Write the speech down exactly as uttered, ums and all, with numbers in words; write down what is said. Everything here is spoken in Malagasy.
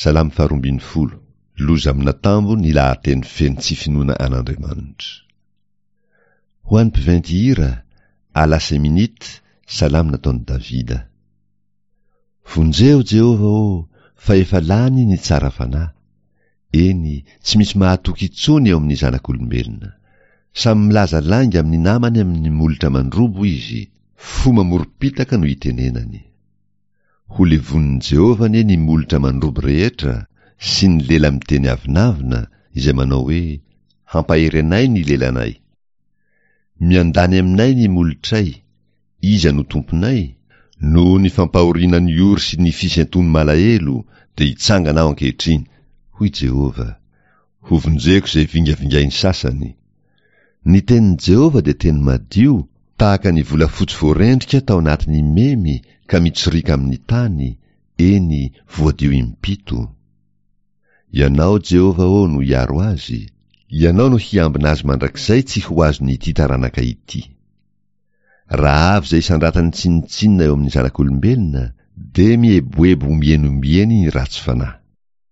Salamo faharoa ambin'ny folo. Loza amin'atambo ny lahateny feno tsy finoana an'Andriamanitra. Ho an'ny mpiventy hira, à la Seminit, salamo nataon'i Davida. Vonjeo Jehovah ô, fa efa lany ny tsara fanahy. Eny, tsy misy mahatoky intsony eo amin'ny zanak'olombelona. Samy milaza lainga amin'ny namany amin'ny molotra mandrobo izy, fo mamorom-pitaka no itenenany. Ho levonin'i Jehovah anie ny molotra mandrobo rehetra sy ny lela miteny avonavona izay manao hoe, Hampahery anay ny lelanay. Miandany aminay ny molotray, iza no tomponay? Noho ny fampahoriana ny ory sy ny fisentoan'ny malahelo dia hitsangana aho ankehitriny, hoy Jehovah. Hovonjeko izay vingavingain'ny sasany. Ny tenin'i Jehovah dia teny madio, tahaka ny volafotsy voarendrika tao anatin'ny memy ka mitsoriaka amin'ny tany, eny, voadio impito. Ianao, Jehovah ô, no hiaro azy, Ianao no hiambina azy mandrakizay tsy ho azon'ity taranaka ity. Raha avy izay isandratany tsinontsinona eo amin'ny zanak'olombelona, dia mieboebo ombieny ombieny ny ratsy fanahy.